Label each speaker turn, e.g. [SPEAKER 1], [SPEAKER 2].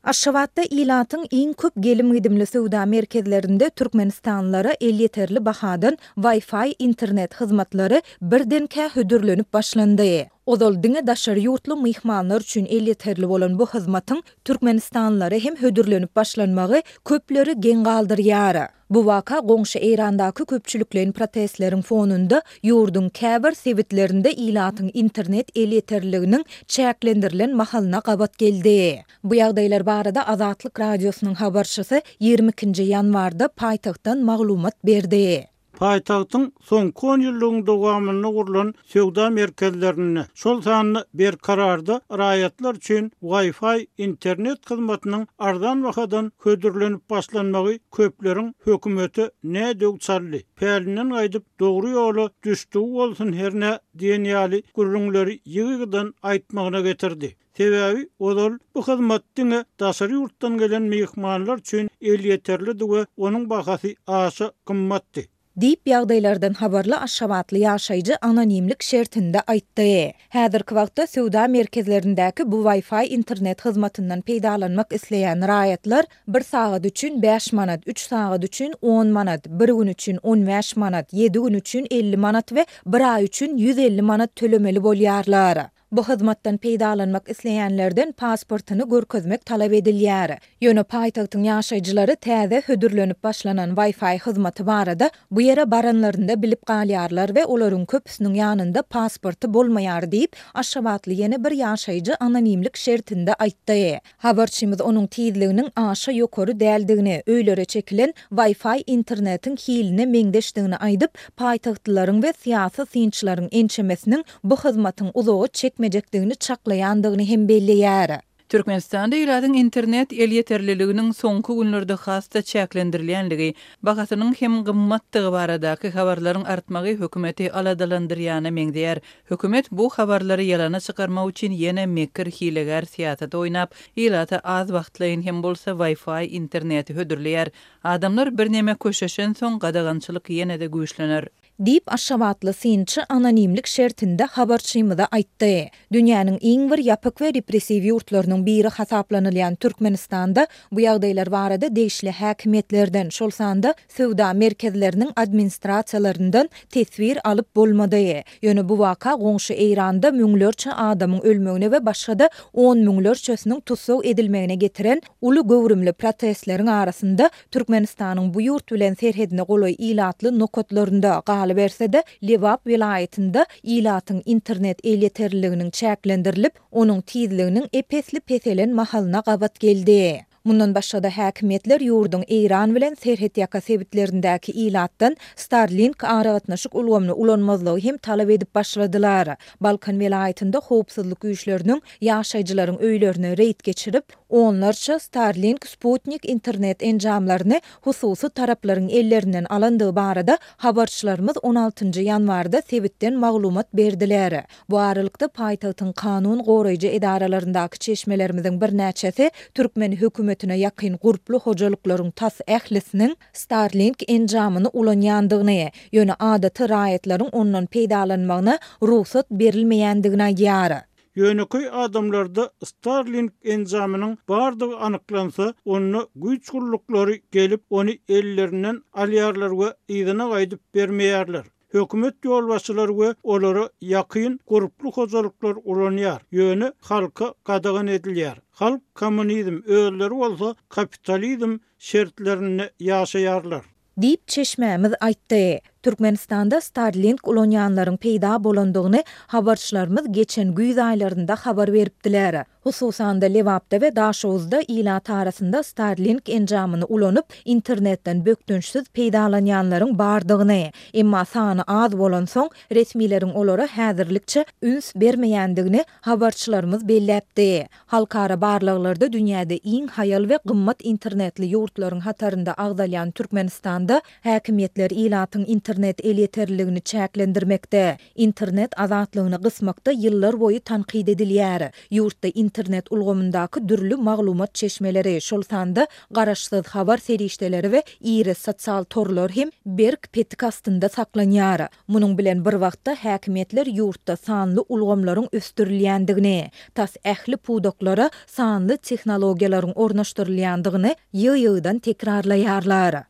[SPEAKER 1] Aşgabatda ilatyň iň köp gelim-gidimli söwda merkezlerinde türkmenistanlylara elýeterli bahadan Wi-Fi internet hyzmatlary birdenkä hödürlenip başlandy. Ozal diňe daşary ýurtly myhmanlar üçin elýeterli bolan bu hyzmatyň türkmenistanlylara hem hödürlenip başlanmagy köpleri geň galdyrýar. Bu waka goňşy Eýrandaky köpçülikleýin protestleriň fonunda ýurduň käbir sebitlerinde ilatyň internet elýeterliliginiň çäklendirilen mahalyna gabat geldi. Bu ýagdaýlar barada Azatlyk Radiosynyň habarçysy 22-nji ýanwarda paýtagtdan maglumat berdi.
[SPEAKER 2] Paýtagtyň soňky onýyllygyň dowamynda gurlan söwda merkezlerinde, şol sanda Berkararda raýatlar üçin Wi-Fi internet hyzmatynyň arzan bahadan hödürlenip başlanmagy köpleriň hökümete nä döw çaldy, pälinden gaýdyp dogry ýola düşdügi bolsun hernä diýen ýaly gürrüňleri ýygy-ýygydan aýtmagyna getirdi. Sebäbi ozal bu hyzmat diňe daşary ýurtdan gelen myhmanlar üçin elýeterlidi we onuň bahasy aşa gymmatdy.
[SPEAKER 1] Diýip, ýagdaýlardan habarly aşgabatly ýaşaýjy anonimlik şertinde aýtdy. Häzirki wagtda söwda merkezlerindäki bu Wi-Fi internet hyzmatyndan peýdalanmak isleýän raýatlar bir sagat üçin bäş manat, üç sagat üçin on manat, bir gün üçin on bäş manat, ýedi gün üçin 50 manat we bir aý üçin 150 manat tölemeli bolýarlar. Bu hyzmatdan peýdalanmak isleýänlerden pasportyny görkezmek talap edilýär. Ýöne paýtagtyň ýaşaýjylary täze hödürlenip başlanan Wi-Fi hyzmaty barada bu ýere baranlarynda bilip galýarlar we olaryň köpüsiniň ýanynda pasporty bolmaýar diýip, aşgabatly ýene bir ýaşaýjy anonimlik şertinde aýtdy. Habarçymyz onuň tizliginiň aşa ýokary däldigini, öýlere çekilen Wi-Fi internetiň hiline meňzeşdigini aýdyp, paýtagtlylaryň we syýasy synçylaryň ençemesiniň bu hyzmatyň uzaga çekmejekdigini çaklaýandygyny hem belleýär.
[SPEAKER 3] Türkmenistanda ilatyň internet elýeterliliginiň soňky günlerde has-da çäklendirilýänligi, bahasynyň hem gymmatdygy baradaky habarlaryň artmagy hökümeti aladalandyrýana meňzeýär. Hökümet bu habarlary ýalana çykarmak üçin ýene mekir hilegär syýasaty oýnap, ilata az wagtlaýyn hem bolsa Wi-Fi interneti hödürleýär. Adamlar birneme köşeşensoň gadagançylyk ýene-de güýçlener.
[SPEAKER 1] Diýip, aşgabatly synçy anonimlik şertinde habarçymyza aýtdy. Dünýäniň iň bir ýapyk we repressiw ýurtlarynyň biri hasaplanylýan Türkmenistanda bu ýagdaýlar barada degişli häkimiýetlerden, şol sanda söwda merkezleriniň administrasiýalaryndan teswir alyp bolmady. Ýöne bu waka goňşy Eýranda müňlerçe adamyň ölmegine we başga-da on müňlerçesiniň tussag edilmegine getiren uly göwrümli protestleriň arasynda Türkmenistanyň bu ýurt bilen serhedine golaý ilatly nokatlarynda, galyberse-de, Lebap welaýatynda ilatyň internet elýeterliliginiň çäklendirilip, onuň tizliginiň ep-esli peselen mahalyna gabat geldi. Mundan başga-da, häkimiýetler ýurduň Eýran bilen serhetýaka sebitlerindäki ilatdan Starlink aragatnaşyk ulgamyny ulanmazlygy hem talap edip başladylar. Balkan welaýatynda howpsuzlyk güýçleriniň ýaşaýjylaryň öýlerine reýd geçirip, onlarça Starlink sputnik internet enjamlaryny hususy taraplaryň ellerinden alandygy barada habarçylarymyz on altynjy ýanwarda sebitden maglumat berdiler. Bu aralykda, paýtagtyň kanun goraýjy edaralaryndaky çeşmelerimiziň birnäçesi türkmen hökümetine ýakyn gurply hojalyklaryň tas ählisiniň Starlink enjamyny ulanýandygyny, ýöne adaty raýatlaryň ondan peýdalanmagyna rugsat berilmeýändigini aýdýar.
[SPEAKER 2] Ýönekeý adamlarda Starlink enjamynyň bardygy anyklansa, onda güýç gulluklary gelip, ony ellerinden alýarlar we yzyna gaýdyp bermeýärler. Hökümet ýolbaşçylary we olara ýakyn gurply hojalyklar ulanýar, ýöne halka gadagan edilýär. Halk kommunizm, özleri bolsa kapitalizm şertlerinde ýaşaýarlar.
[SPEAKER 1] Diýip, çeşmämiz aýtdy. Türkmenistanda Starlink ulanýanlaryň peýda bolandygyny habarçylarymyz geçen güýz aýlarynda habar beripdiler. Hususan-da, Lebapda we Daşoguzda ilat arasynda Starlink enjamyny ulanyp, internetden bökdençsiz peýdalanýanlaryň bardygyny, emma sany az bolansoň, resmileriň olara häzirlikçe üns bermeýändigini habarçylarymyz belläpdi. Halkara barlaglarda dünýäde iň haýal we gymmat internetli ýurtlaryň hatarynda agzalýan Türkmenistanda häkimiýetler ilatyň internet. internet elýeterliligini çäklendirmekde, internet azatlygyny gysmakda ýyllarboýy tankyt edilýär. Ýurtda internet ulgamyndaky dürli maglumat çeşmeleri, şol sanda garaşsyz habar serişdeleri we iri sosial torlar hem berk petik astynda saklanýar. Munuň bilen bir wagtda, häkimiýetler ýurtda sanly ulgamlaryň ösdürilýändigini, tas ähli pudaklara sanly tehnologiýalaryň ornaşdyrylýandygyny ýygy-ýygydan tekrarlaýarlar.